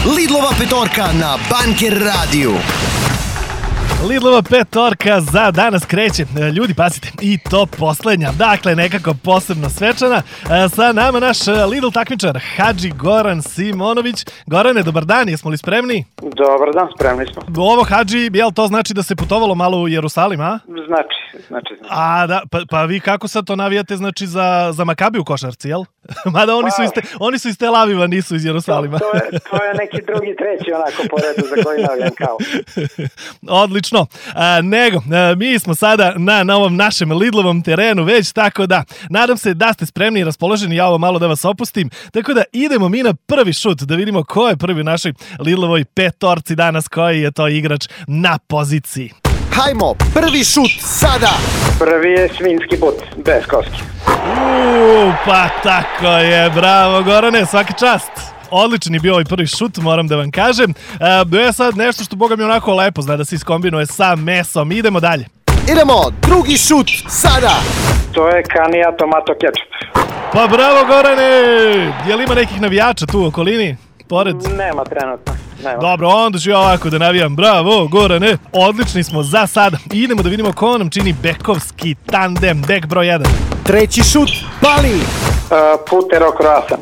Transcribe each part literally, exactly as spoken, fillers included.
Lidlova petorka na Banker radiju. Lidlova petorka za danas kreće. Ljudi, pazite, i to poslednja. Dakle, nekako posebno svečana. Sa nama naš Lidl takmičar, Hadži Goran Simonović. Gorane, dobar dan, jesmo li spremni? Dobar dan, spremni smo. Ovo, Hadži, jel to znači da se putovalo malo u Jerusalim, a? Znači, znači. znači. A, da, pa, pa vi kako sad to navijate, znači, za, za Makabi u košarci, jel? Mada oni, pa, su iz te, oni su iz Tel Aviva, nisu iz Jerusalima. To, to, je, to je neki drugi, treći onako po redu za koji navijam kao. Odlično. A, nego, a, mi smo sada na, na ovom našem Lidlovom terenu već, tako da nadam se da ste spremni i raspoloženi, ja ovo malo da vas opustim. Tako da idemo mi na prvi šut, da vidimo ko je prvi u našoj Lidlovoj petorci danas, koji je to igrač na poziciji. Hajmo, prvi šut sada! Prvi je svinjski but, bez koski. Uuu, pa tako je, bravo Gorane, svaka čast. Odličan je bio ovaj prvi šut, moram da vam kažem. E, je sad nešto što boga mi onako lepo zna da se iskombinuje sa mesom. Idemo dalje. Idemo, drugi šut sada! To je kanija tomato kečup. Pa bravo Gorane! Je li ima nekih navijača tu u okolini? Pored? Nema trenutno. Nema. Dobro, onda ću ja ovako da navijam. Bravo, Gorane. Odlični smo za sada. Idemo da vidimo ko nam čini bekovski tandem. Bek broj jedan. Treći šut, pali! Uh, putero kroasan.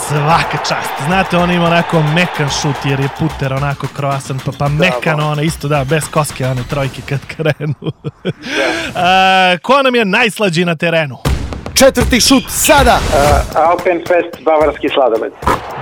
Svaka čast. Znate, on ima onako mekan šut jer je puter onako kroasan, pa, pa mekan ona isto, da, bez koske one trojke kad krenu. A, ko nam je najslađi na terenu? Četvrti šut sada! Uh, Alpenfest, bavarski sladoled.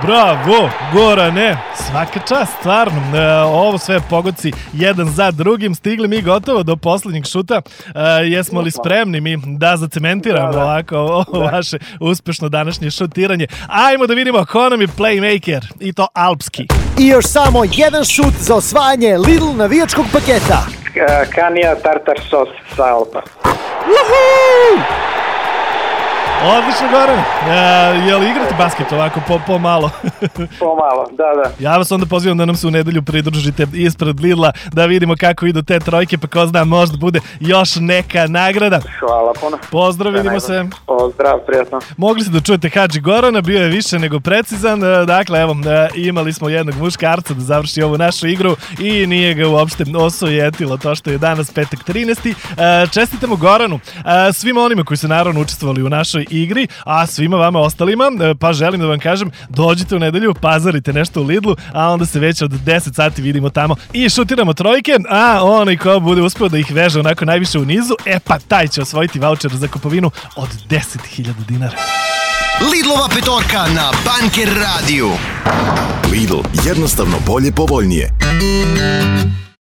Bravo, Gorane, svaka čast, stvarno. E, ovo sve pogodci jedan za drugim. Stigli mi gotovo do poslednjeg šuta. E, jesmo li spremni mi da zacementiramo da, da. ovako ovo da. vaše uspešno današnje šutiranje? Ajmo da vidimo ko nam je playmaker, i to alpski. I još samo jedan šut za osvajanje Lidl navijačkog paketa. Uh, kanija tartar sos sa Alpa. Uhu! Odlično, Goran. E, je li igrate basket ovako po, po malo? Po malo, da, da. Ja vas onda pozivam da nam se u nedelju pridružite ispred Lidla, da vidimo kako idu te trojke, pa ko zna, možda bude još neka nagrada. Hvala puno. Pozdrav, vidimo se. Pozdrav, prijatno. Mogli ste da čujete Hadži Gorana, bio je više nego precizan. Dakle, evo, imali smo jednog muškarca da završi ovu našu igru i nije ga uopšte osujetilo to što je danas petak trinaesti. Čestitamo Goranu, svima onima koji su naravno učestvovali u našoj igri, a svima vama ostalima, pa želim da vam kažem, dođite u nedelju, pazarite nešto u Lidlu, a onda se već od deset sati vidimo tamo i šutiramo trojke, a onaj ko bude uspeo da ih veže onako najviše u nizu, e pa taj će osvojiti vaučer za kupovinu od deset hiljada dinara. Lidlova petorka na Banker radiju. Lidl, jednostavno bolje, povoljnije.